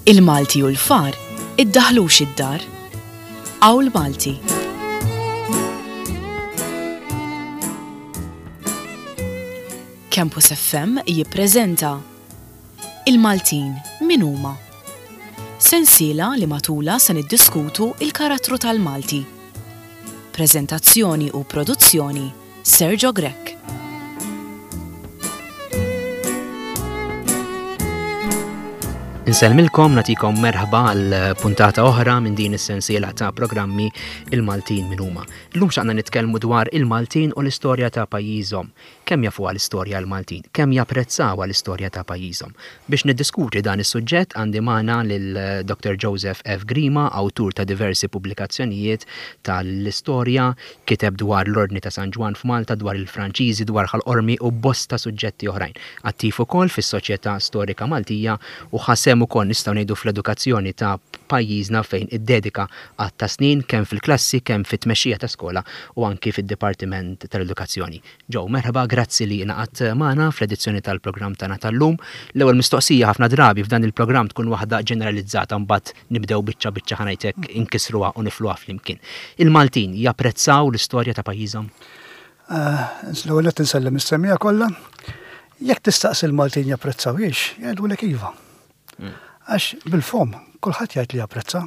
Il-Malti u l-far iddaħlux id-dar. Qawl Malti. Campus FM jippreżenta Il-Maltin min huma? Sensiela li matulha se niddiskutu il-karattru tal-Malti. Preżentazzjoni u produzzjoni Sergio Grech. Insellmilkom natikom merħba għal puntata oħra minn din is-sensiela ta' programmi Il-Maltin min huma. Illum xaqna nitkellmu dwar il-Maltin u l-istorja ta' pajjiżhom. Kemm jafuha l-istorja l-Maltin? Kemm japprezzawha l-istorja ta' pajjiżhom? Biex niddiskuti dan is-suġġett għandi magħna lil Dr. Joseph F. Grima, awtur ta' diversi pubblikazzjonijiet tal-istorja, kiteb dwar l-Ordni ta' San Ġwann f'Malta, dwar il-Franċiżi, dwar Ħal Qormi u bosta suġġetti oħrajn. Attiv ukoll fis-Soċjetà Storika Maltija u ħa sehem ukoll nistgħu ngħidu fl-edukazzjoni ta' pajjiżna fejn iddedika għadd ta' snin kemm fil-klassi, kemm fit-tmexxija ta' skola u anki fid-Dipartiment tal-Edukazzjoni. Joe, merħba, grazzi li ingħaqadt magħna fl-edizzjoni tal-programm tagħna tal-lum. L-ewwel mistoqsija ħafna drabi f'dan il-programm tkun waħda ġeneralizzata mbagħad nibdew biċċa biċċa ħa ngħid hekk inkissruha u nifluha flimkien. Il-Maltin japprezzaw l-istorja ta' pajjiżhom? L-ewwel nett insellem is-semmiegħa kollha. Jekk tistaqsi l-Maltin japprezzawhiex, jgħidulek iva. Għax bil-fomm kulħadd jgħid li japprezza,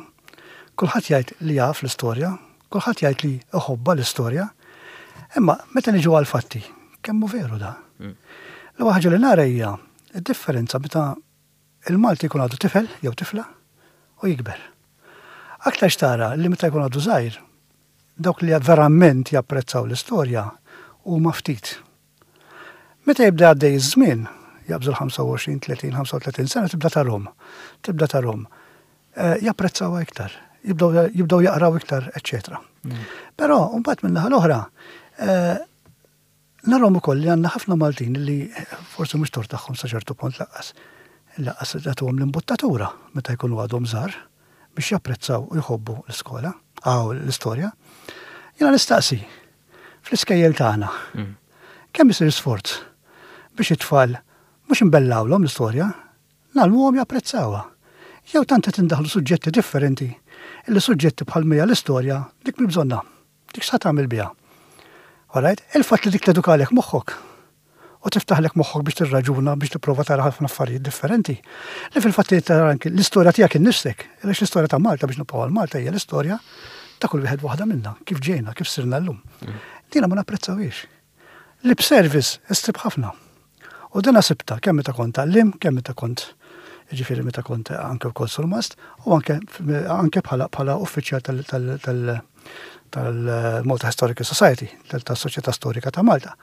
kulħadd jgħid li jaf l-istorja, kulħadd jgħid li iħobbha l-istorja. Imma meta niġu għall-fatti, kemm hu veru da? L-ewwel ħaġa li nara hija d-differenza meta il-Malti jkun għadu tifel jew tifla u jikber. Aktarx tara li meta jkun għadu żgħir, dawk li verament japprezzaw l-istorja huma ftit. Meta jibda għaddej iż-żmien, jaqbżu l-25, 30, 35 sena, tibda tarhom. Tibda tarhom. Eh, japprezzawha iktar, jibdew jaqraw iktar, eċċetera. Mm. Però, mbagħad minn naħa l-oħra, eh, narhom ukoll li għandna ħafna Maltin li forsi mhux tort tagħhom sa ċertu punt laqqas. Laqqas jagħtuhom l-imbuttatura meta jkunu għadhom żgħar biex japprezzaw u jħobbu l-iskola, għaw l-istorja. Jiena nistaqsi, fl-iskejjel tagħna. Mm. Kemm isir sforz biex it-tfal mhux imbellawlhom l-istorja, nagħlmuhom japprezzawha. Jew tant qed indaħlu suġġetti differenti illi suġġetti bħal mija l-istorja dik mi bżonna. Dik sa tagħmel biha. Alright? Il-fatt li dik tedukalek moħħok u tiftaħlek moħħok biex tirraġuna biex tipprova tara ħafna affarijiet differenti. Li fil-fatt li tara anki l-istorja tiegħek innifsek, għaliex l-istorja ta' Malta biex nibqgħu għal Malta hija l-istorja ta' kull wieħed waħda minna, kif ġejna, kif sirna llum. Mm. Dina ma napprezzawhiex. Lip service issib ħafna. U dina sibta kemm meta kont għallim, kemm meta kont ġifieri meta kont anke wkoll surmast u anke anke bħala bħala uffiċjal tal tal-Malta Historical Society, tas-Soċjetà Storika ta' Malta.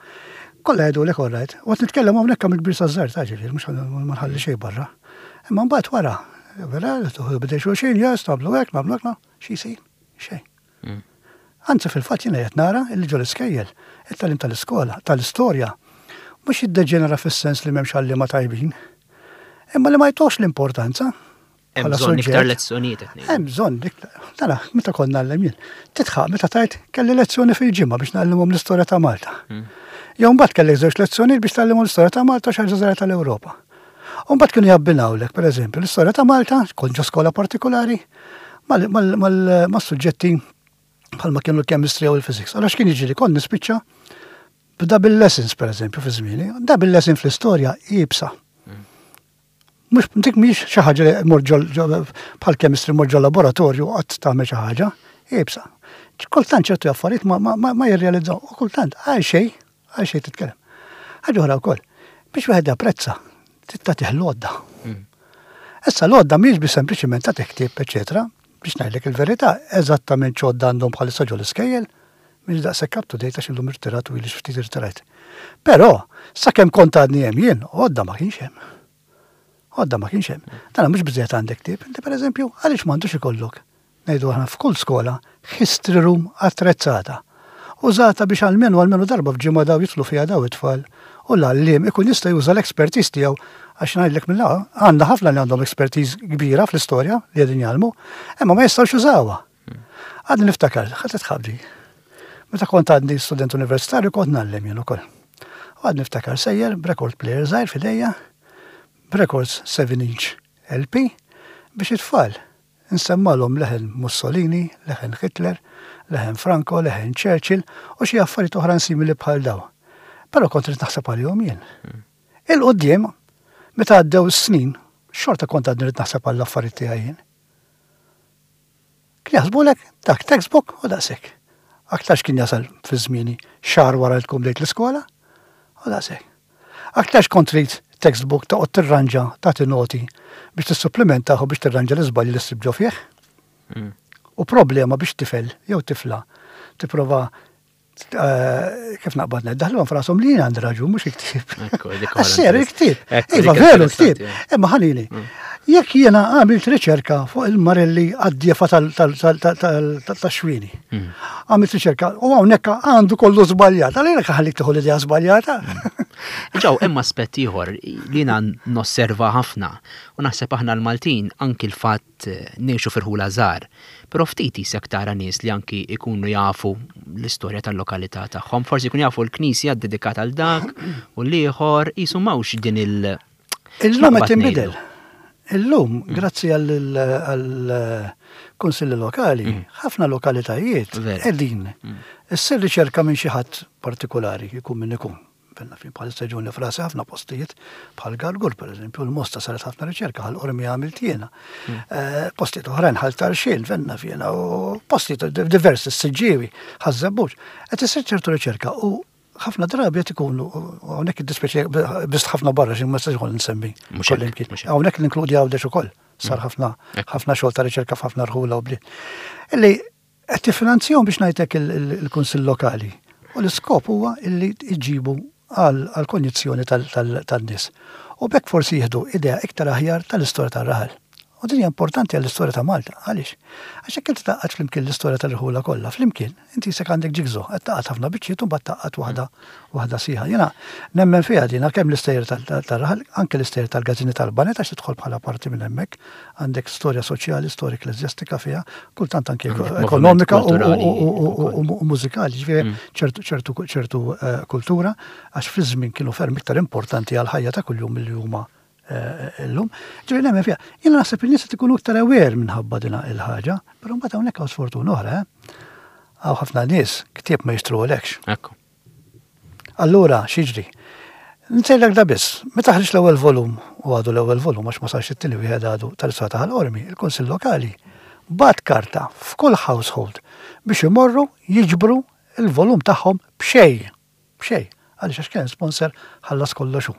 Kollha jgħidulek all right, u qed nitkellem hawnhekk kemm il-kbir saż-żgħir ta' ġifieri mhux ma nħalli xejn barra. Imma mbagħad wara, vera, tuħdu bidej xulxin, yes, nagħmlu hekk, nagħmlu hekk, xi jsir? Xejn. Mm. Anzi fil-fatt jiena qed nara li ġol iskejjel, it-tagħlim tal-iskola, tal-istorja, mhux jiddeġenera fis-sens li m'hemmx għalliema tajbin, imma li ma jtuhx l-importanza Hemm bżonn iktar lezzjonijiet qed ngħidu. Hemm bżonn iktar. Tara, meta konna ngħallem jien, titħaq meta tajt kelli lezzjoni fil-ġimgħa biex ngħallimhom l-istorja ta' Malta. Hmm. Jew mbagħad kellek żewġ lezzjonijiet biex tgħallimhom l-istorja ta' Malta u xi ħaġa żgħira tal-Ewropa. U mbagħad kienu jabbinawlek, pereżempju, l-istorja ta' Malta, kont ġo skola partikolari, mas-suġġetti bħalma kienu l-chemistry u l-physics. Allora x'kien jiġri kont nispiċċa b'double lessons, pereżempju, fi żmieni, double lesson fl-istorja iebsa. Mhux dik mhix xi ħaġa li mur bħal chemistry mur ġol laboratorju qatt tagħmel xi ħaġa, iebsa. Kultant ċertu affarijiet ma, ma, ma, ma jirrealizzaw, u kultant għal xejn, għal xejn titkellem. Ħaġa oħra wkoll, biex wieħed japprezza, trid tagħtih l-għodda. Mm. Issa l-għodda mhijiex biex sempliċiment tagħtih ktieb, eċetera, biex ngħidlek il-verità, eżattament x'għodda għandhom bħalissa ġol iskejjel, mhix daqshekk up to date għax illum irtirat u ilix ftit irtirajt. Però, sakemm kont għadni hemm jien, għodda ma kienx hemm. Għodda ma kienx hemm. Dan mhux biżejjed għandek ktieb. Inti pereżempju, għaliex m'għandux ikollok ngħidu aħna f'kull skola history room attrezzata. Użata biex almenu almenu darba f'ġimgħa daw jidħlu fiha daw it-tfal u l-għalliem ikun jista' juża l-expertise tiegħu għax ngħidlek mill għandna ħafna li għandhom expertise kbira fl-istorja li qegħdin jgħallmu, imma ma jistgħux jużawha. Għadni niftakar, ħa titħabdi. Meta kont għadni student universitarju kont ngħallem jien ukoll. U għadni niftakar sejjer b'record player żgħir f'idejja, b'records 7 inch LP, Biex it-tfal insemmalhom leħen Mussolini, leħen Hitler, leħen Franco, leħen Churchill u xi affarijiet oħrajn simili bħal dawn. Però kont irid naħseb għalihom jien. Il quddiem, meta għaddew is-snin, xorta kont għadni rrid naħseb għall-affarijiet tiegħi jien. Kien jaħsbulek dak textbook u daqshekk. Aktarx kien jasal fi żmieni xahar wara li tkun bdejt l-iskola u daqshekk. Aktarx kont trid textbook toqgħod tirranġa tagħti noti biex tissupplimentah u biex tirranġa l-iżbalji li ssib ġo fih. U problema biex tifel jew tifla tipprova kif naqbad ngħid, daħluhom f'rashom li jien għandi raġun mhux il-ktieb. Għas-ser il-ktieb. Iva veru l-ktieb. Imma ħanini, jekk jiena għamilt riċerka fuq il-marelli għad-djefa tax-xwini. Għamilt riċerka u hawnhekk għandu kollu żbaljat. Għalhekk ħallik tieħu l-idea żbaljata. Ġew, hemm aspett ieħor li jiena nosserva ħafna u naħseb aħna l-Maltin anki l-fatt ngħixu fi rħula żgħar, però ftit isek tara nies li anki jkunu jafu l-istorja tal-lokalità tagħhom, forsi jkunu jafu l-knisja ddedikata għal dak u l-ieħor, qisu m'hawnx din il- Illum qed tinbidel. Illum, grazzi għall-kunsilli lokali, ħafna lokalitajiet qegħdin issir riċerka minn xi ħadd partikulari, ikun min ikun. Fenna fin bħalissa ġuni frasi ħafna postijiet bħal Gargur pereżempju, l-Mosta saret ħafna riċerka ħal Qormi għamilt jiena. Eh, postijiet oħrajn ħal Tarxien fenna fjena u postijiet diversi s-Siġġiewi, ħaż-Żebbuġ. Qed isir ċertu riċerka u ħafna drabi qed ikunu hawnhekk id-dispeċi biss ħafna barra xi ma nistax nsemmi. Hawnhekk ninkludi Għawdex ukoll. Sar mm. ħafna ħafna xogħol ta' riċerka f'ħafna rħula u bliet. Illi Qed tiffinanzjahom biex ngħid hekk il-Kunsill Lokali u l-iskop huwa illi jġibu għall-konjizzjoni tan-nies. U b'hekk forsi jieħdu idea iktar aħjar tal-istorja tar-raħal. U din hija importanti għall-istorja ta' Malta. Għaliex? Għax jekk inti tgħaqqad flimkien l-istorja tal-irħula kollha flimkien, inti qisek għandek jigsaw, qed tgħaqqad ħafna biċċiet u mbagħad tgħaqqad waħda waħda sħiħa. Jiena nemmen fiha din għalkemm l-istejjer tar-raħal, anke l-istejjer tal-gazzini tal-banet għax tidħol bħala parti minn hemmhekk, Għandek storja soċjali, storja ekkleżjastika fiha, kultant anke ekonomika u mużikali, ġifieri mm. ċertu ċertu ċertu eh, kultura, għax fi żmien kienu ferm iktar importanti għal ħajja ta' kuljum milli huma eh, illum. Ġifieri nemmen fiha. Jiena naħseb in-nies qed ikunu iktar aware minħabba din il-ħaġa, però mbagħad hawnhekk hawn sfortuna oħra, eh? Hawn ħafna nies ktieb ma jixtruhulekx. Ekku. Allura, x'jiġri? Nsejlek da biss, meta ħriġ l-ewwel volum, u għadu l-ewwel volum għax ma sarx it-tieni wieħed għadu tal-Istorja ta' Ħal Qormi, il-Kunsill Lokali bagħat karta f'kull household biex imorru jiġbru l-volum tagħhom b'xejn. B'xejn. Għaliex għax kien hemm sponsor ħallas kollox hu.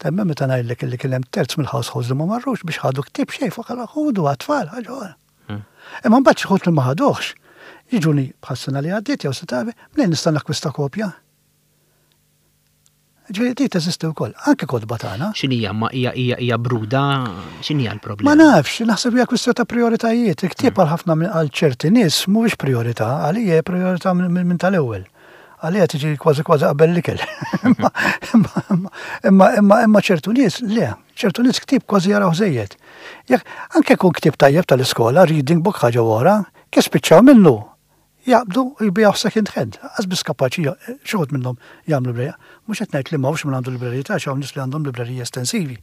Temmen meta ngħidlek illi kien hemm terz mill-households li ma marrux biex ħadu ktieb xejn fuq ħudu għat-tfal ħaġa oħra. Imma mbagħad xi ħut li ma ħaduhx, jiġuni bħas-sena li għaddiet jew sena qabel, mnejn nista' nakkwista kopja? Ġifieri di teżisti wkoll, anke kotba tagħna. X'inhija ma hija hija hija bruda, x'inhija l-problema? Ma nafx, naħseb hija kwistjoni ta' prioritajiet. Il-ktieb għal ħafna għal ċerti nies mhuwiex priorità, għalija hija priorità minn tal-ewwel. Għalija tiġi kważi kważi qabel l-ikel. Imma imma imma ċertu nies le, ċertu nies ktieb kważi jaraw żejjed. Jekk anke jkun ktieb tajjeb tal-iskola, reading book ħaġa oħra, kif spiċċaw minnu, jaqbdu u jbigħuh second hand. Lanqas biss kapaċi xi wħud minnhom jagħmlu librerija. Mhux qed ngħid li m'hawnx min għandu libreriji ta' hawn nies li għandhom libreriji estensivi.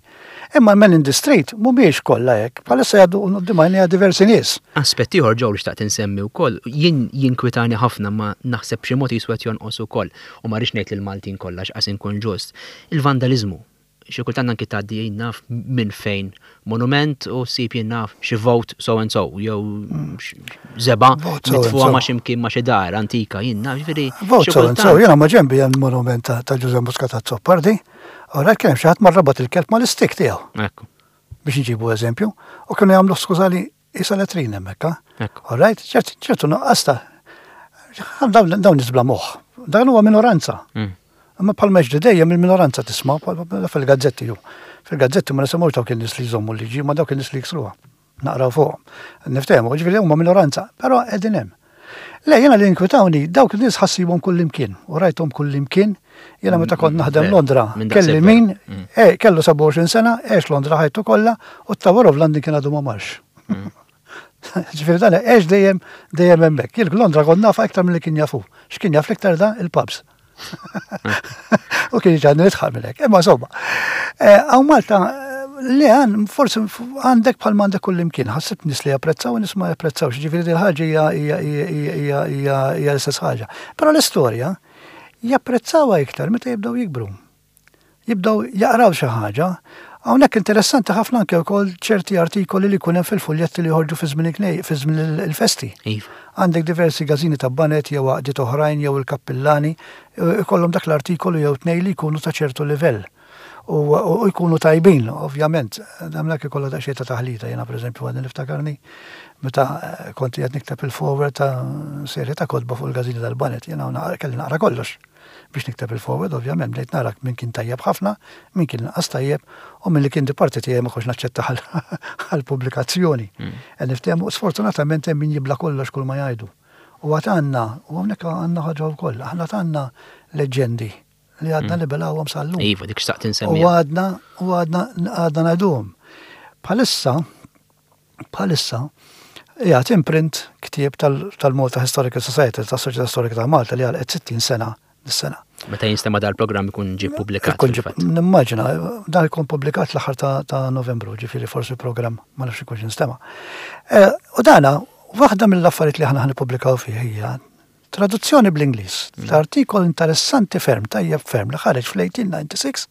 Imma l-men in the street mhumiex kollha hekk. Bħalissa jgħaddu quddiem għajnejja diversi nies. Aspett ieħor Joe li xtaqt insemmi wkoll, jien jinkwitani ħafna ma naħseb b'xi mod qisu qed jonqos ukoll, u ma rridx ngħid lill-Maltin kollha għax qas inkun ġust, il-vandaliżmu. Xi kultant anki tgħaddi jien naf minn fejn monument u ssib jien naf xi vote so and so jew żebgħa mitfugħa ma' xi mkien ma' xi dar antika jien naf ġifieri. Vote so and so, jiena ma' ġenbi hemm monument ta' Ġużè Muscat Azzopardi, ora kien hemm xi ħadd mar rabat il-kelb mal-istik tiegħu. Ekku. Biex nġibu eżempju, u kienu jagħmlu skużali Isa letrin hemmhekk, ha? All right, ċertu nuqqas ta' dawn nies bla moħħ. Dan huwa minoranza. Mm. Imma bħal meġdi dejjem il-minoranza tisma' fil-gazzetti ju. Fil-gazzetti ma nisimgħux dawk in-nies li jżommu l-liġi, ma dawk in-nies li jiksruha. Naqraw fuq. Niftehmu, ġifieri huma minoranza, però qegħdin hemm. Le, jiena li inkwitawni, dawk in-nies ħassibhom kullimkien u rajthom kullimkien. Jiena meta kont naħdem Londra, kelli min, mm. eh, kellu 27 sena, għex Londra ħajtu kollha u t-Tower of London kien għadu ma marx. Mm. Ġifieri dan għex dejjem dejjem hemmhekk. Jien Londra kont nafa iktar milli kien jafu. X'kien jaf l-iktar da il-pubs. U kien ġan nitħaq minn hekk. Imma insomma, eh, hawn Malta eh, Le, forsi għandek bħal m'għandek kullimkien, ħassib nies li japprezzaw u nies ma japprezzawx, ġifieri din ħaġa hija l-istess ħaġa. Però l-istorja japprezzawha iktar meta jibdew jikbru. Jibdew jaqraw xi ħaġa. Hawnhekk interessanti ħafna anke wkoll ċerti artikoli li jkun hemm fil-fuljetti li joħorġu fi żmien fi żmien il-festi. Iva. Għandek diversi gażini ta' baned jew għaqdiet oħrajn jew il-kappillani ikollhom dak l-artikolu jew tnejn li jkunu ta' ċertu livell. U jkunu tajbin, ovvjament. Hemmhekk ikollha daqsxejn ta' taħlita. Jiena pereżempju għadni niftakarni meta kont qiegħed nikteb il-forward ta' serje ta' kotba fuq il-gażini tal-baned, jiena kelli naqra kollox. Biex nikteb il-forward, ovvjament, bdejt nara min kien tajjeb ħafna, min kien inqas tajjeb, u min li kien di parti tiegħi ma kontx naċċettah għall-pubblikazzjoni. Qed niftehmu, sfortunatament hemm min jibla' kollox kull ma jgħidu. U għad għandna, u hawnhekk għandna ħaġa wkoll, aħna għad għandna leġġendi li għadna nibelgħuhom sal-lum. Iva, dik xtaqt insemmiha. U għadna, u għadna, għadna ngħiduhom. Bħalissa, Bħalissa qiegħed in print ktieb tal-Malta Historical Society, tas-Soċjetà Storika ta' Malta li għalqet 60 sena dis-sena. Meta jinstema' dal-programm ikun ġie ppubblikat. Ikun ġie, nimmaġina, dan ikun ppubblikat l-aħħar ta' Novembru, ġifieri forsi l-programm ma nafx ikunx instema'. U dana, waħda mill-affarijiet li aħna ħa nippubblikaw fih hija traduzzjoni bl-Ingliż ta' artikol interessanti ferm, tajjeb ferm, li ħareġ fl-1896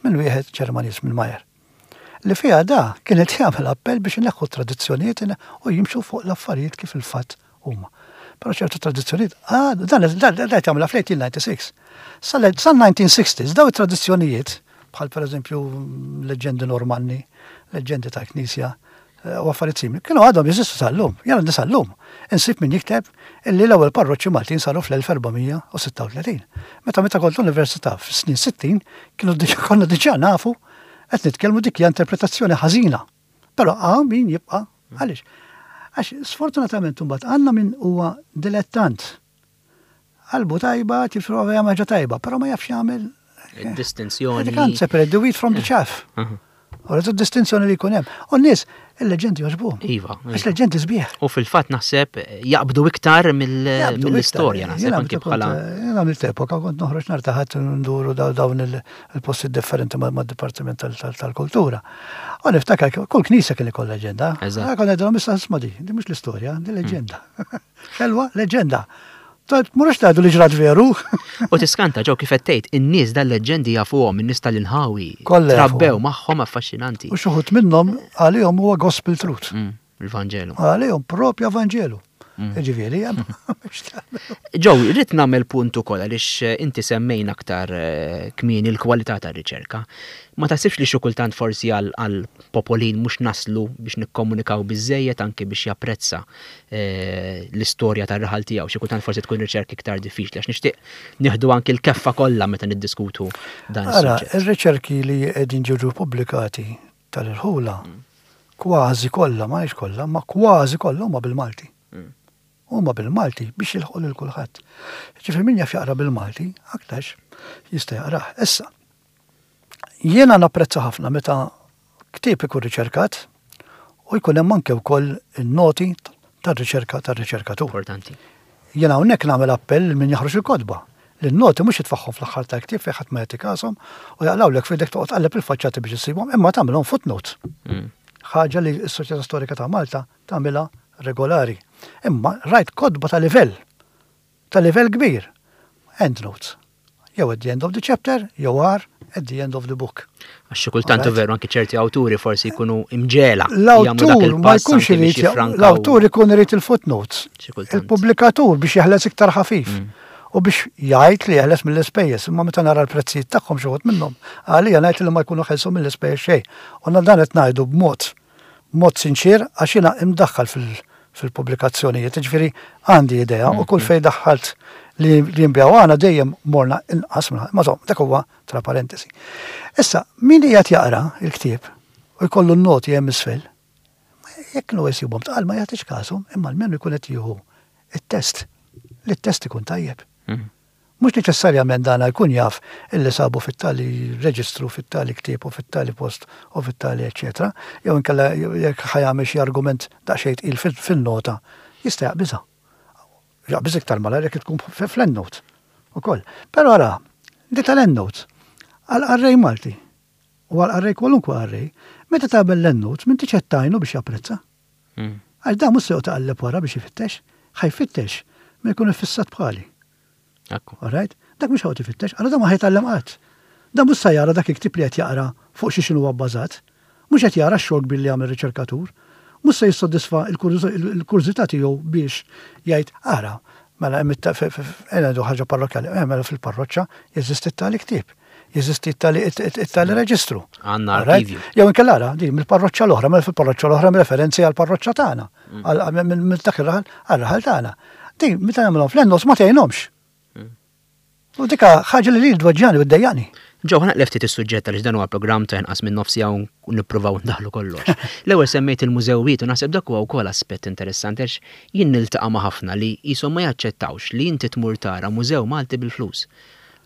minn wieħed Ġermaniż, minn Meyer. Li fiha da kien qed jagħmel appell biex ineħħu t-tradizzjonijiet u jimxu fuq l-affarijiet kif il-fatt huma. Però ċertu tradizzjonijiet għadu, dan dan qed jagħmilha fl-1896. Sal-1960s daw it-tradizzjonijiet, bħal pereżempju leġġendi Normanni, leġġendi tal-Knisja, u affarijiet simili, kienu għadhom jeżistu sal-lum. Jien għandi sal-lum. Insib min jikteb illi l-ewwel parroċċi Maltin saru fl-1436. Meta meta kont l-università fis-snin 60 kienu konna diġà nafu qed nitkellmu dik hija interpretazzjoni ħażina. Però hawn min jibqa' għaliex? Għax sfortunatament imbagħad għandna min huwa dilettant. Qalbu tajba, jipprova jagħmel ħaġa tajba, però ma jafx jagħmel Distinzjoni. You can't separate the wheat from the chaff. U rridu distinzjoni li jkun hemm. U n-nies, il-leġendi jogħġbuhom. Iva. Għax leġendi sbieħ. U fil-fatt naħseb jaqbdu iktar mill-istorja naħseb anki bħala. Jien għamilt epoka kont noħroġ nhar ta' Ħadd nduru dawn il-postijiet differenti mad-Dipartiment tal-Kultura. U niftakar kull knisja kien ikoll leġenda. Eżatt. Kont ngħidilhom issa isma' di, di mhux l-istorja, di leġenda. Ħelwa, leġenda. Tmurux tgħidu li ġrat veru. U tiskanta ġew kif qed tgħid, in-nies dal-leġġendi jafuhom, in-nies tal-inħawi. Kollha jafuhom. Trabbew magħhom affaxxinanti. U xi wħud minnhom għalihom huwa gospel truth. Il-Vanġelu. Għalihom propja Vanġelu. Jiġifieri hemm Joe, rrid nagħmel punt ukoll għaliex inti semmejna aktar kmieni l-kwalità tar-riċerka. Ma taħsibx li xi kultant forsi għal popolin mhux naslu biex nikkomunikaw biżżejjed anki biex japprezza l-istorja tar-raħal tiegħu. Xi kultant forsi tkun riċerka iktar diffiċli għax nixtieq nieħdu anki l-keffa kollha meta niddiskutu dan Ara, ir-riċerki li qegħdin ġew pubblikati tal-irħula mm. kważi kollha, ma kollha, ma kważi kollha huma bil-Malti. Mm. Huma bil-Malti biex jilħqu lil kulħadd. Ġifier min jaf jaqra bil-Malti, aktarx jista' jaqrah. Issa, jiena napprezza ħafna meta Ktieb ikun riċerkat u jkun hemm anke wkoll in-noti tar-riċerka tar-riċerkatur. Importanti. Jien hawnhekk nagħmel appell lil min joħroġ il-kotba li n-noti mhux jitfagħhom fl-aħħar tal-ktieb fejn ħadd ma jagħti kashom u jaqlgħulek f'idek toqgħod tqalleb il-faċċati biex issibhom imma tagħmilhom footnote. Ħaġa li s-Soċjetà Storika ta' Malta tagħmilha regolari. Imma rajt kotba ta' livell ta' livell kbir. Endnotes. Jew at the end of the chapter, jew agħar, at the end of the book. Għax xi kultant veru anki ċerti awturi forsi jkunu imġela. L-awtur ma jkunx irid, l-awtur ikun irid il-footnotes. Il-pubblikatur biex jeħles iktar ħafif. Mm. U biex jgħid li jeħles mill-ispejjeż, imma meta nara l-prezzijiet tagħhom xi wħud minnhom, għalija ngħid li ma jkunu ħelsu mill-ispejjeż xejn. U dan qed ngħidu b'mod B'mod sinċier għax jiena imdaħħal fil-pubblikazzjonijiet, jiġifieri għandi idea u kull fejn daħħalt li jinbiegħu għandna dejjem morna inqas minn ma insomma dak huwa tra parentesi. Issa, min qiegħed jaqra l-ktieb u jkollu n-noti hemm isfel, jekk kienu jsibhom tqal ma jagħtix kasu, imma almenu jkun qed jieħu t-test, li t-test ikun tajjeb. Mhux neċessarjament dana jkun jaf illi sabu fit-tali reġistru, fit-tali ktieb u fit-tali post u fit-tali eċċetera, jew inkella jekk ħa jagħmel xi argument daqsxejn tqil fin-nota, jista' jaqbiżha. Jaqbiż iktar malajr jekk tkun fl-endnote ukoll. Però ara, di tal-endnote, għall-qarrej Malti u għall-qarrej kwalunkwe qarrej, Meta tagħmel l-endnotes m'intix qed tgħinu biex japprezza. Għax dan mhux se joqgħod iqalleb wara biex ifittex, ħa jfittex min ikun iffissat bħali. Ekku. All right? Dak mhux ħa joqgħod ifittex, allura dan ma ħa jitgħallem qatt. Dan mhux sa jara dak il-ktieb li qed jaqra fuq xi x'inhuwa bbażat. Mhux qed jara x-xogħol kbir li għamel riċerkatur. Mhux se jissodisfa l-kurżità tiegħu biex jgħid, ara, mela hemm ngħidu ħaġa parrokkjali, eh, mela fil-parroċċa jeżisti t-tali ktieb, jeżisti t-tali reġistru. Għandna arkivju. Jew inkella ara, din mill-parroċċa l-oħra, mela fil-parroċċa l-oħra hemm referenzi għall-parroċċa tagħna, mm. minn dak ir-raħal għar-raħal tagħna. Din meta nagħmilhom fl-ennos ma tgħinhomx. U dika ħaġa li lili tweġġani u ddejjaqni. Joe, ħa naqleb ftit is-suġġett għaliex dan huwa programm ta' inqas minn nofs siegħa u nippruvaw ndaħħlu kollox. L-ewwel semmejt il-mużewijiet u naħseb dak huwa wkoll aspett interessanti għax jien niltaqa' ma' ħafna li qishom ma jaċċettawx li inti tmur tara mużew Malti bil-flus.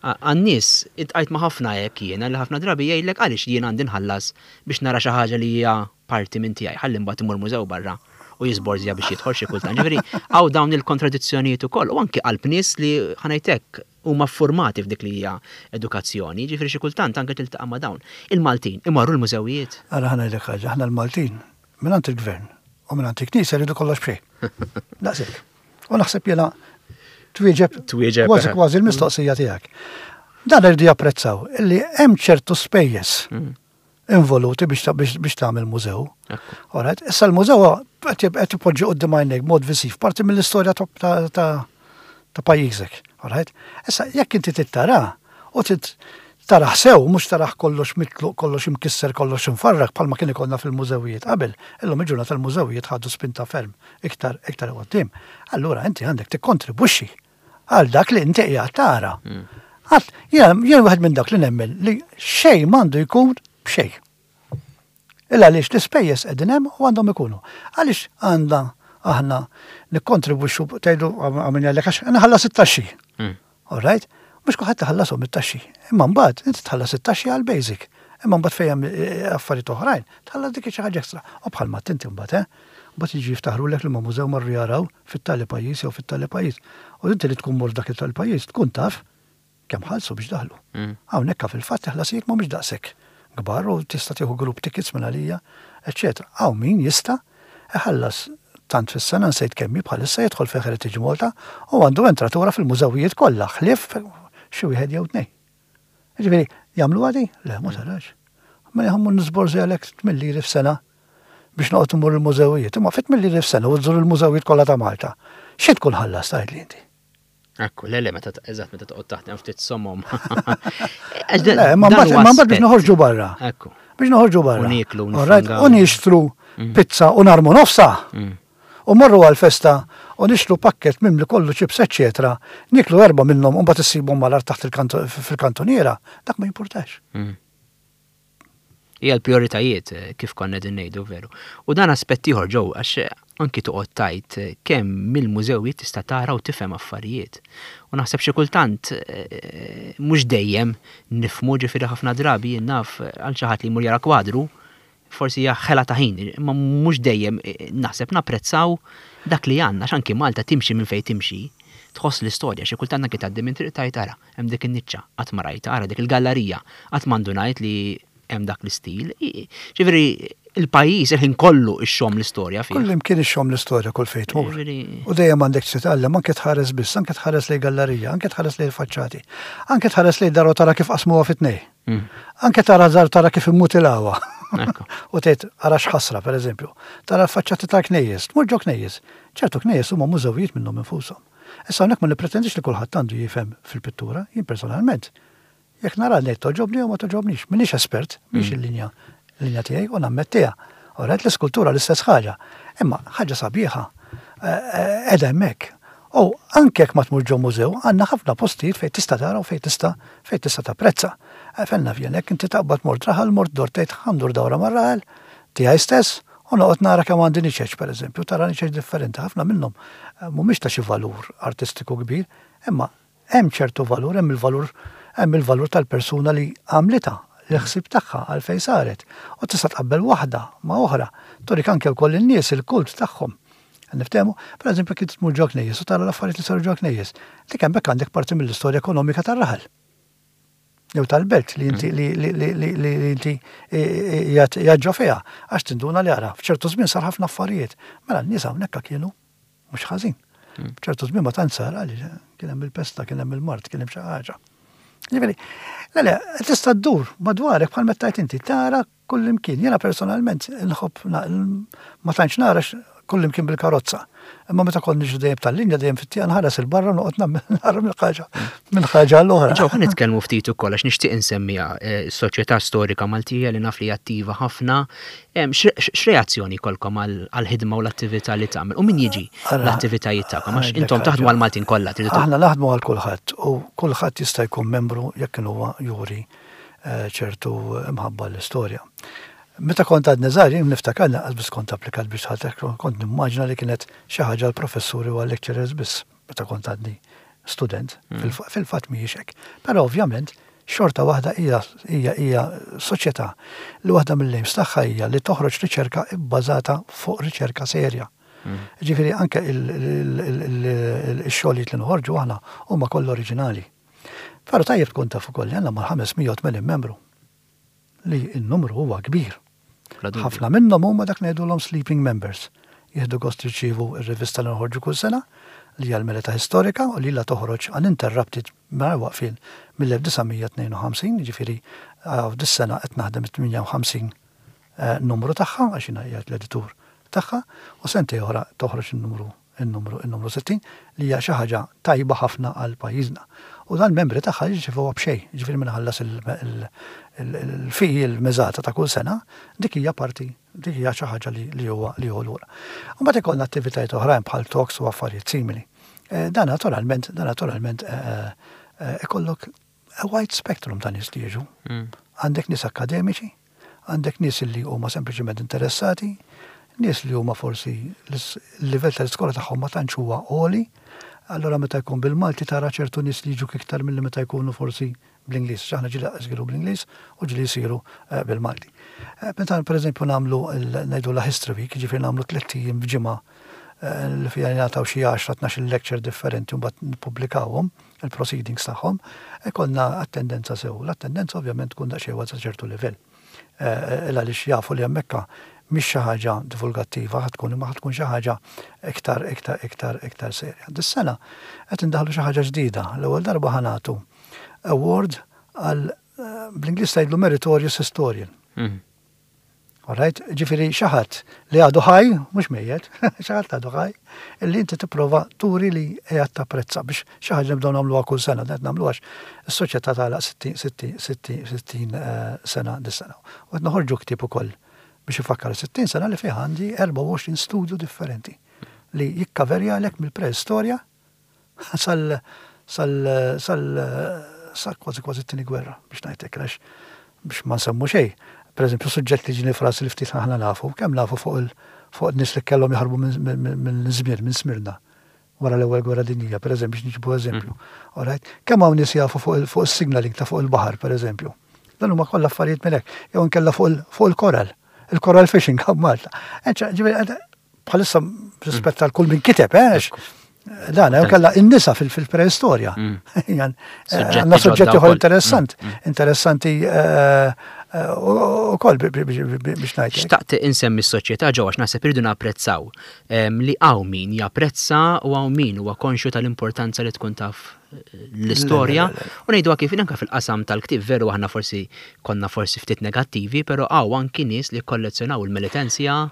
Għan-nies, iltqajt ma' ħafna hekk jiena li ħafna drabi jgħidlek għaliex jien għandi nħallas biex nara xi ħaġa li hija parti minn tiegħi, ħalli mbagħad imur mużew barra u jiżborżja biex jidħol xi kultant. Ġifieri hawn dawn il-kontradizzjonijiet ukoll u anki qalb nies li ħa ngħid hekk huma ffurmati f'dik li hija edukazzjoni, ġifieri xi kultant anke tiltaqa' ma' dawn. Il-Maltin imorru l-mużewijiet? Ara ħa ngħidlek ħaġa, aħna l-Maltin mingħand il-Gvern u mingħand il-Knisja rridu kollox b'xejn. Daqshekk. U naħseb jiena twieġeb twieġeb kważi kważi l-mistoqsija tiegħek. Dan irridu japprezzaw illi hemm ċertu spejjeż mm. involuti biex tagħmel mużew. Alright, issa l-mużew qed ipoġġi quddiem għajnejk mod visiv, parti mill-istorja ta' pajjiżek. Alright? Issa jekk inti trid tara u trid taraħ sew, mhux taraħ kollox mitluq, kollox imkisser, kollox imfarrak bħalma kien ikollna fil-mużewijiet qabel, illum il-ġurnata l-mużewijiet ħadu spinta ferm iktar iktar quddiem. Allura inti għandek tikkontribwixxi għal dak li inti qiegħed tara. Għat, jien wieħed minn dak li nemmen li xejn m'għandu jkun b'xejn. Illa għaliex l-ispejjeż qegħdin hemm u għandhom ikunu. Għaliex għandna aħna nikkontribwixxu tgħidu għamilna għalek għax nħallas it-taxxi. Hmm. All right? Mhux kulħadd iħallashom it-taxxi. Imma mbagħad inti tħallas it-taxxi għal basic. Imma mbagħad fejn hemm eh, affarijiet oħrajn, tħallas dik xi ħaġa ekstra. U bħalma tinti mbagħad, eh? Mbagħad jiġi jiftaħrulek li ma mużew marru jaraw fit-tali pajjiż jew fit-tali pajjiż. U inti li tkun mort dak it-tali pajjiż tkun taf kemm ħallsu biex daħlu. Mm. Hawnhekk fil-fatt il-ħlasijiet mhumiex daqshekk kbar u tista' tieħu group tickets minn għalija, eċċetera. Hawn min jista' iħallas tant fis-sena nsejt kemm hi bħalissa jidħol fi Heritage Malta u għandu entratura fil-mużewijiet kollha ħlief xi wieħed jew tnejn. Ġifieri, jagħmlu għadi? Le, ma tarax. Ma jħammu nisborżi għalhekk 8 liri f'sena biex noqgħod immur il-mużewijiet. Imma fit mill f'sena u tżur il-mużewijiet kollha ta' Malta. Xi tkun ħallas tgħidli inti? Ekku, le, le, meta eżatt meta toqgħod taħdem ftit somom. Le, ma mbagħad biex noħorġu barra. Ekku. Biex noħorġu barra. U nieklu. U nixtru mm. pizza u narmu nofsa. Mm. U morru għal-festa u nixtru pakket mimli kollu ċips eċċetera, niklu erba' minnhom u mbagħad issibhom mal-art taħt fil-kantuniera, dak ma jimpurtax. Mm. Hija l-prijoritajiet eh, kif konna qegħdin ngħidu veru. U dan aspett ieħor ġew għax eh, anki toqgħod tajt eh, kemm mill-mużewijiet tista' tara u tifhem affarijiet. U naħseb xi kultant mhux dejjem nifhmu ġifieri ħafna drabi jien naf għal xi ħadd li jmur jara kwadru forsi hija ħela ta' ħin, imma mhux dejjem naħseb napprezzaw dak li għandna, għax anki Malta timxi minn fejn timxi, tħoss l-istorja, xi kultant anki tgħaddi minn triq tgħid ara, hemm dik in-niċċa, qatt ma rajtha, ara dik il-gallarija, qatt ma ndunajt li hemm dak l-istil. Ġifieri il-pajjiż il-ħin kollu ixxomm l-istorja fih. Kullimkien ixxomm l-istorja kull fejn tmur. U dejjem għandek titgħallem anke tħares biss, anke tħares lejn gallarija, anke tħares lejn il-faċċati, anke tħares lejn dar u tara kif qasmuha fi tnejn. Mm. Anke tara dar tara kif immutilawha. U tgħid ara x'ħasra pereżempju. Tara l-faċċati tal-knejjes, tmur ġo knejjes. Ċertu knejjes huma mużewijiet minnhom infushom. Issa hawnhekk ma nippretendix li kulħadd għandu jifhem fil-pittura, jien personalment. Jekk nara ngħid togħġobni jew ma togħġobnix, m'iniex espert, mhix mm. il-linja linja tiegħi u nammettiha. Alright, l-iskultura l-istess ħaġa. Imma ħaġa sabiħa eh, eh, qiegħda hemmhekk. U anke jekk ma tmur ġo mużew, għandna ħafna postijiet fejn tista' tara u fejn tista' fejn tista' tapprezza. Eh, Fenna fjenek, inti taqbad mort raħal, mort dor tgħid ħa ndur dawra mar-raħal tiegħi stess, u noqgħod nara kemm għandi niċeċ pereżempju, tara niċeċ differenti, ħafna minnhom mhumiex ta' xi valur artistiku kbir, imma hemm ċertu valur, hemm il-valur hemm il-valur tal-persuna li għamlitha, l-ħsieb tagħha għalfejn saret. U tista' tqabbel waħda ma' oħra. Turik anke wkoll in-nies il-kult tagħhom. Niftehmu, pereżempju kif tmur ġo knejjes u tara l-affarijiet li saru ġo knejjes. Dik hemmhekk għandek parti mill-istorja ekonomika tar-raħal. jew tal-belt li inti li li li li li inti qiegħed ġo fiha għax tinduna li ara f'ċertu żmien sar ħafna affarijiet. Mela n-nies hawnhekk kienu mhux ħażin. F'ċertu żmien ma tant sar għaliex kien hemm il-pesta, kien hemm il-mard, kien hemm xi ħaġa. Ġifieri, le le, tista' ddur madwarek bħal meta tajt inti tara Kullimkien. Jiena personalment inħobb ma tantx nara kullimkien bil-karozza. Imma meta kont niġri dejjem tal-linja dejjem fit-tieqa nħares 'il barra noqgħod nara minn ħaġa minn ħaġa għal oħra. Ġew ħa nitkellmu ftit ukoll għax nixtieq insemmiha eh, s-Soċjetà Storika Maltija li naf li attiva ħafna. X'reazzjoni jkollkom għall-ħidma u l-attività li tagħmel u min jiġi l-attivitajiet tagħkom għax intom taħdmu għall-Maltin kollha. Aħna naħdmu għal kulħadd u kulħadd jista' jkun membru jekk huwa juri ċertu imħabba l-istorja. Meta kont għadni żgħir, jien niftakar lanqas biss kont applikat biex dħalt hekk, kont nimmaġina li kienet xi ħaġa għall-professuri u għal-lecturers biss meta kont għadni student. Mm. Fil-fatt mhijiex hekk. Però ovvjament xorta waħda hija hija hija soċjetà li waħda mill-aims tagħha hija li toħroġ riċerka bbażata fuq riċerka serja. Mm. Ġifieri anke il-xogħlijiet li noħorġu aħna huma kollha oriġinali. Però tajjeb tkun taf ukoll li għandna mal-580 membru li n-numru huwa kbir. Ħafna minnhom huma dak ngħidulhom sleeping members. Jieħdu gost jirċievu r-rivista li noħorġu kull sena li hija l-Melita Historika u li ilha toħroġ uninterrupted mingħajr waqfien mill-1952, jiġifieri dis-sena qed naħdem it-58 numru tagħha għax jiena qiegħed l-editur tagħha u sentejn oħra toħroġ in-numru in-numru in-numru 60 li hija xi ħaġa tajba ħafna għal pajjiżna. U dan membri tagħha jirċevuha b'xejn, jiġifieri min iħallas il-fee il-miżata ta' kull sena, dik hija parti dik hija xi ħaġa li huwa li hu lura. U mbagħad ikollna attivitajiet oħrajn bħal talks u affarijiet simili. Eh, dan naturalment, dan naturalment eh, eh, ikollok a wide spectrum ta' nies li jiġu. Mm. Għandek nies akademiċi, Għandek nies li huma sempliċement interessati, nies li huma forsi l-livell tal-iskola tagħhom ma tantx huwa għoli, allura meta jkun bil-Malti tara ċertu nies li jiġuk iktar milli meta jkunu forsi bl-Ingliż. Għax aħna ġieli lanqas jsiru bl-Ingliż u ġieli jsiru eh, bil-Malti. Eh, meta pereżempju nagħmlu ngħidulha History Week, jiġifieri nagħmlu tlett ijiem f'ġimgħa eh, li fiha jingħataw xi 10 12 lecture differenti u mbagħad nippubblikawhom, il-proceedings tagħhom, ikollna attendenza sew. L-attendenza ovvjament tkun daqsxejn sa ċertu livell. Eh, il għaliex jafu li hemmhekk mhix xi ħaġa divulgattiva ħa tkun imma ħa tkun xi ħaġa iktar iktar iktar iktar serja. Dis-sena qed indaħlu xi ħaġa ġdida. L-ewwel darba ħa nagħtu award għal eh, bl-Ingliż tgħidlu meritorious historian. Mm. Alright? Ġifieri xi ħadd li għadu ħaj, mhux mejjet, xi ħadd għadu ħaj, illi inti tipprova turi li qiegħed tapprezza biex xi ħaġa nibdew nagħmluha kull sena, qed nagħmluha għax is-soċjetà tagħlaq 60 60 60 sena dis-sena. U qed noħorġu ktieb ukoll biex ifakkar 60 sena li fih għandi 24 studju differenti li jikkaverjalek mill-preistorja sal sal sal sa kważi kważi t-tieni gwerra biex ngħid hekk għax biex ma nsemmu xejn. Pereżempju suġġett li ġieni f'rasi li ftit aħna nafu, kemm nafu fuq il fuq nies li kellhom jaħarbu minn Żmir, minn Smirna wara l-ewwel gwerra dinjija, pereżempju biex niġibu eżempju. Mm. Alright? Kemm hawn nies jafu fuq fuq is-signaling ta' fuq il-baħar, pereżempju. Dan huma kollha affarijiet minn hekk. Jew inkella fuq il-koral, il-coral fishing Malta. Bħalissa rispett għal kull min kiteb, eh, dan, jew kella in-nisa fil-preistorja. Mm. Eh, għandna suġġetti ieħor interessant, mm, mm. interessanti eh, u koll biex ngħid. Xtaqt insemmi s-soċjetà ġewwa għax naħseb irridu napprezzaw ehm, li hawn min japprezza u hawn min huwa konxju tal-importanza li tkun taf l-istorja u ngħidu kif anke fil-qasam tal-ktieb veru aħna forsi konna forsi ftit negattivi, però hawn anki nies li kollezzjonaw il-militenzja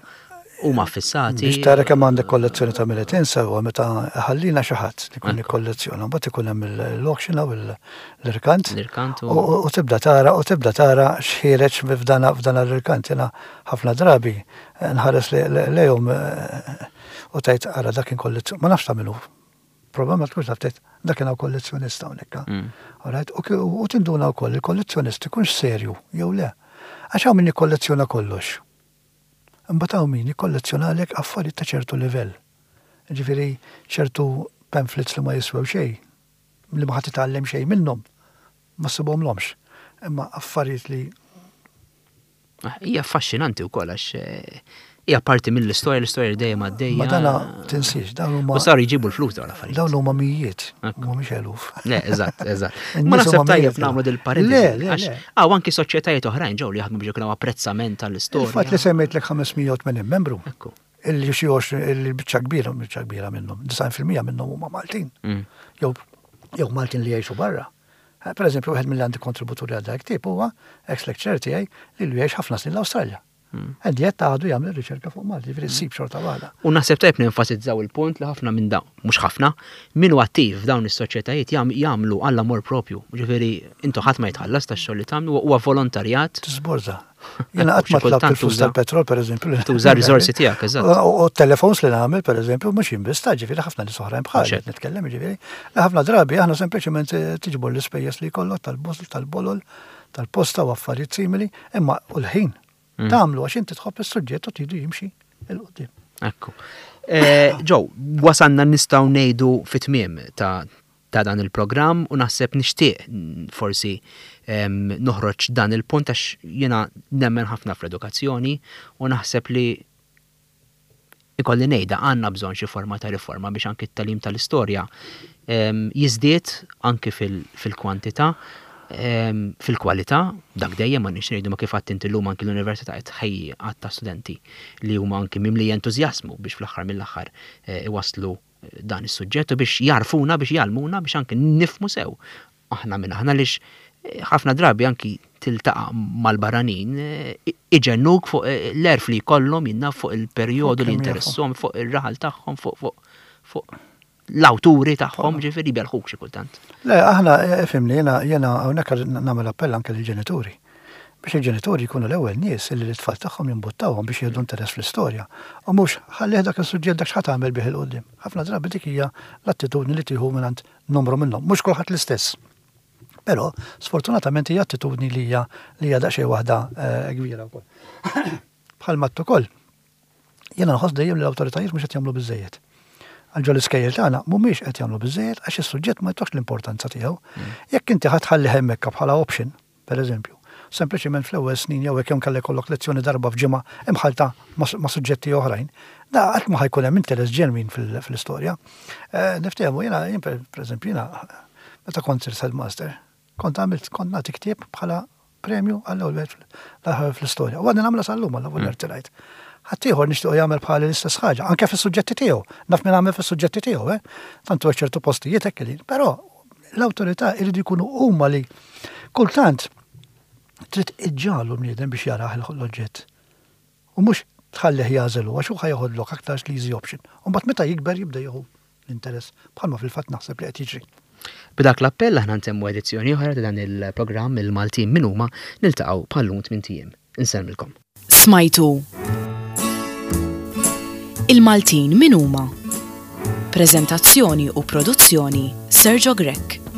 huma ffissati. Biex tara kemm għandek kollezzjoni ta' militenza huwa meta ħallina xi ħadd li jkun jikkollezzjona, mbagħad ikun hemm l-auction hawn l-irkant. L-irkant u tibda tara u tibda tara x'ħiereġ f'dan l-irkant. Jiena ħafna drabi nħares lejhom u tgħid ara dak kien kollezzjoni, ma nafx ta' min hu. Problema tkunx taf tgħid dak kien hawn kollezzjonista hawnhekk. Mm. Alright, u tinduna wkoll il-kollezzjonist ikunx serju jew le. Għax hawn min jikkollezzjona kollox. Imbagħad hawn min jikkollezzjonalek affarijiet ta' ċertu livell. Jiġifieri ċertu pamphlets li ma jiswew xejn, li ma ħa titgħallem xejn minnhom, ma ssibhomlhomx. Imma affarijiet li. Hija affaxxinanti wkoll għax. Hija parti mill-istorja, l-istorja li dejjem għaddejja. Ma dana tinsiex, dawn huma. U saru jġibu l-flus dawn l-affarijiet. Dawn huma mijiet, mhumiex eluf. Le, eżatt, eżatt. Ma naħseb tajjeb nagħmlu dil-parentesi. Le, le, le. Hawn anki soċjetajiet oħrajn ġew li jaħdmu biex ikun apprezzament tal-istorja. Il-fatt li semmejtlek 580 membru. Ekku. Illi xi 20 illi biċċa kbira, biċċa kbira minnhom, 90% minnhom huma Maltin. Mm. Jew jew Maltin li jgħixu barra. Eh, per eżempju, wieħed mill-għandi kontributuri għal dak tip huwa ex-lecturer tiegħi li jgħix ħafna snin l-Awstralja. And yet għadu jagħmel riċerka fuq Malti, ġifieri ssib xorta waħda. U naħseb tajjeb nenfasizzaw il-punt li ħafna minn dawn, mhux ħafna, min hu attiv f'dawn is-soċjetajiet jagħmlu għall-amor propju. Ġifieri intu ħadd ma jitħallas tax-xogħol li tagħmlu, huwa volontarjat. Tiżborża. Jiena qatt ma tlabt il-flus tal-petrol, pereżempju. Tuża r-riżorsi tiegħek, eżatt. U t-telefons li nagħmel, pereżempju, mhux jien biss ta' ġifieri ħafna nies oħrajn bħal qed nitkellem, ġifieri. Ħafna drabi aħna sempliċement tiġbor l-ispejjeż li jkollok tal-bus, tal-bolol, tal-posta u affarijiet simili, imma u l-ħin mm. tagħmlu għax inti tħobb is-suġġett u tridu jimxi il qudiem Ekku. Eh, Ġo, wasanna nistgħu ngħidu fit-tmiem ta' ta' dan il-programm u naħseb nixtieq forsi noħroġ dan il-punt għax jiena nemmen ħafna fl-edukazzjoni u naħseb li Ikolli ngħidha, għandna bżonn xi forma ta' riforma biex anki t-tagħlim tal-istorja jiżdied anki fil-kwantità, fil-kwalità, dak dejjem m'għandniex ngħidu ma kif għedt inti llum anki l-università qed tħejji għadd ta' studenti li huma anki mimlija entużjażmu biex fl-aħħar mill-aħħar iwasslu dan is-suġġett u biex jagħrfuna, biex jgħallmuna biex anki nifhmu sew aħna min aħna għaliex ħafna drabi anki tiltaqa' mal-barranin iġennuk fuq l-għerf li jkollhom jien naf fuq il-perjodu li jinteresshom, fuq ir-raħal tagħhom, fuq fuq fuq l-awturi tagħhom, ġifieri jbellħuk xi kultant. Le, aħna, ifhimni, jiena jiena hawnhekk nagħmel appell anke lill-ġenituri. Biex il-ġenituri jkunu l-ewwel nies illi lit-tfal tagħhom jimbuttawhom biex jieħdu interess fl-istorja u mhux ħallih dak is-suġġett dak x'ħa tagħmel bih 'il quddiem. Ħafna drabi dik hija l-attitudni li tieħu mingħand numru minnhom. Mhux kulħadd l-istess. Però, sfortunatament hija attitudni li hija li hija daqsxejn waħda eh, kbira wkoll. Bħal matt ukoll, jiena nħoss dejjem li l-awtoritajiet mhux qed jagħmlu biżejjed. Għal ġol iskejjel tagħna mhumiex qed jagħmlu biżejjed għax is-suġġett ma jtokx l-importanza tiegħu. Mm. Jekk inti ħadd ħalli hemmhekk bħala option, pereżempju, sempliċement fl-ewwel snin jew hekk jew inkella jkollok lezzjoni darba f'ġimgħa imħallta ma' suġġetti oħrajn, da qatt ma ħa jkun hemm interess ġenwin fl-istorja. Niftehmu, jiena, jien pereżempju, jiena meta kont sirt headmaster, kont għamilt, kont nagħti ktieb bħala premju għall-ewwel wieħed l-aħħar fl-istorja. U għadni nagħmilha sal-lum għall-ewwel rtirajt. Ħaddieħor nixtiequ jagħmel bħali l-istess ħaġa, anke fis-suġġetti tiegħu. Naf min għamel fis-suġġetti tiegħu, eh. Tant huwa ċertu postijiet hekk li, però l-awtorità jridu jkunu huma li kultant trid iġġagħlu l-bniedem biex jarah l-oġġett. U mhux tħallih jagħżel hu għax hu ħa jeħodlok aktarx l-easy option. U mbagħad meta jikber jibda jieħu l-interess bħalma fil-fatt naħseb li qed jiġri. B'dak l-appell aħna ntemmu edizzjoni oħra ta' dan il-programm Il-Maltin Min Huma, niltaqgħu bħal-lum tmint ijiem. Insellmilkom. Smajtu Il-Maltin Min Huma? Preżentazzjoni u produzzjoni Sergio Grech.